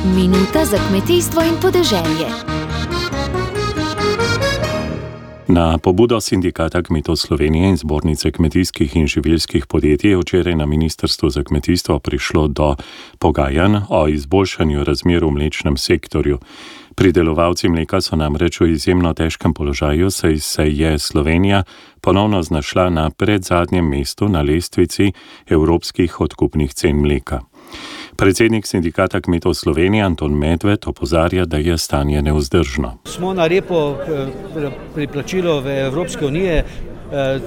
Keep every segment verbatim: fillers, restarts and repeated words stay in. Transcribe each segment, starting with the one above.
Minuta za kmetijstvo in podeželje. Na pobudo Sindikata kmetov Slovenije in Zbornice kmetijskih in živilskih podjetij je včeraj na Ministrstvu za kmetijstvo prišlo do pogajanj o izboljšanju razmer v mlečnem sektorju. Pridelovalci mleka so namreč v izjemno težkem položaju, saj se je Slovenija ponovno znašla na predzadnjem mestu na lestvici evropskih odkupnih cen mleka. Predsednik Sindikata kmetov Slovenije Anton Medved opozarja, da je stanje nevzdržno. Smo na repu pri plačilu v Evropske unije,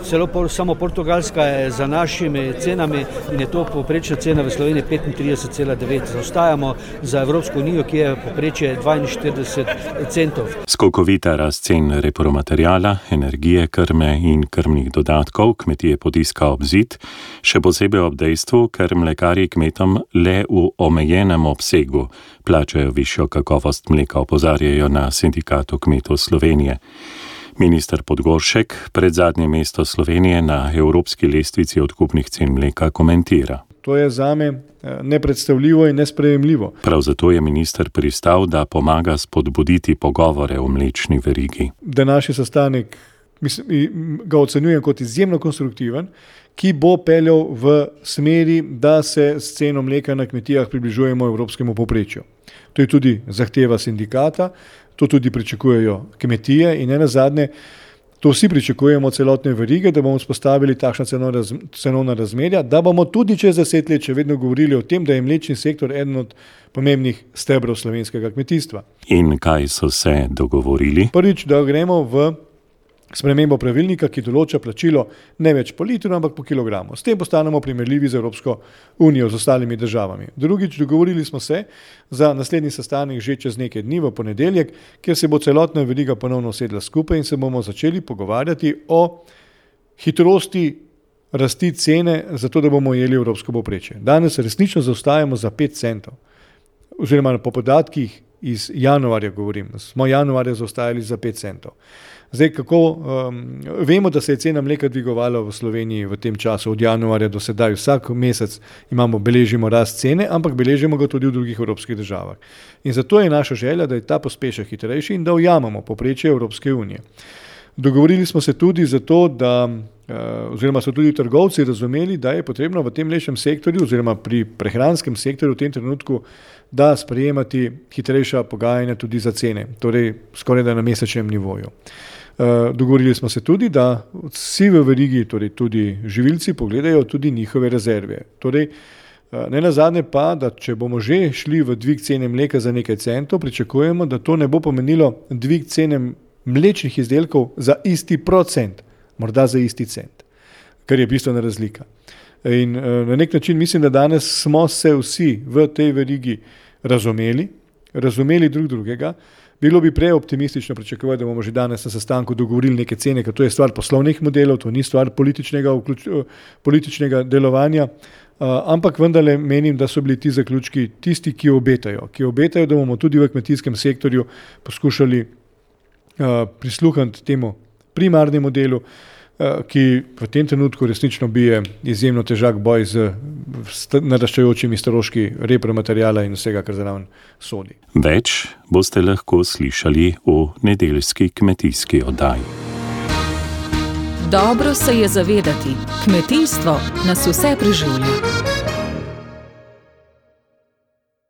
celo samo Portugalska je za našimi cenami in je to povprečna cena v Sloveniji petintrideset cela devet. Zaostajamo za Evropsko unijo, ki je povprečje dvainštirideset centov. Skokovita rast cen repromateriala, energije, krme in krmnih dodatkov kmetije potiska ob zid, še posebej ob dejstvu, ker mlekarji kmetom le v omejenem obsegu plačajo višjo kakovost mleka, opozarjajo na Sindikatu kmetov Slovenije. Minister Podgoršek pred zadnje mesto Slovenije na evropski lestvici odkupnih cen mleka komentira. To je zame nepredstavljivo in nesprejemljivo. Prav zato je minister pristal, da pomaga spodbuditi pogovore o mlečni verigi. Današnji sestanek mislim, ga ocenjujem kot izjemno konstruktiven, ki bo peljal v smeri, da se s ceno mleka na kmetijah približujemo evropskemu povprečju. To je tudi zahteva sindikata, to tudi pričakujejo kmetije in ne nazadnje, to vsi pričakujemo celotne verige, da bomo vzpostavili takšna cenovna razmerja, da bomo tudi čez deset let še vedno govorili o tem, da je mlečni sektor eden od pomembnih stebrov slovenskega kmetijstva. In kaj so se dogovorili? Prvič, da gremo v spremembo pravilnika, ki določa plačilo ne več po litru, ampak po kilogramu. S tem postanemo primerljivi z Evropsko unijo, z ostalimi državami. Drugič, dogovorili smo se za naslednji sestanek že čez nekaj dni v ponedeljek, kjer se bo celotna veriga ponovno usedla skupaj in se bomo začeli pogovarjati o hitrosti rasti cene, zato da bomo jeli evropsko povprečje. Danes resnično zaostajamo za pet centov, oziroma po podatkih iz januarja govorim, smo januarja zaostajali za pet centov. Zdaj, kako um, vemo, da se je cena mleka dvigovala v Sloveniji v tem času od januarja do sedaj, vsak mesec imamo, beležimo rast cene, ampak beležimo ga tudi v drugih evropskih državah. In zato je naša želja, da je ta pospešek hitrejši in da ujamemo povprečje Evropske unije. Dogovorili smo se tudi zato, da, oziroma so tudi trgovci razumeli, da je potrebno v tem mlečnem sektorju oziroma pri prehranskem sektorju v tem trenutku, da sprejemati hitrejša pogajanja tudi za cene, torej skoraj da na mesečnem nivoju. Dogovorili smo se tudi, da vsi v verigi, torej tudi živilci, pogledajo tudi njihove rezerve. Torej, ne nazadnje pa, da če bomo že šli v dvig cene mleka za nekaj centov, pričakujemo, da to ne bo pomenilo dvig cene mlečnih izdelkov za isti procent, morda za isti cent, kar je bistvena razlika. In na nek način mislim, da danes smo se vsi v tej verigi razumeli, razumeli drug drugega. Bilo bi prej optimistično pričakovati, da bomo že danes na sestanku dogovorili neke cene, ker to je stvar poslovnih modelov, to ni stvar političnega, političnega delovanja, ampak vendarle menim, da so bili ti zaključki tisti, ki obetajo, ki obetajo, da bomo tudi v kmetijskem sektorju poskušali prisluhniti temu primarnemu delu, ki v tem trenutku resnično bije izjemno težak boj z naraščajočimi stroški repromateriala in vsega, kar zraven sodi. Več boste lahko slišali v nedeljski kmetijski oddaji. Dobro se je zavedati, kmetijstvo nas vse preživlja.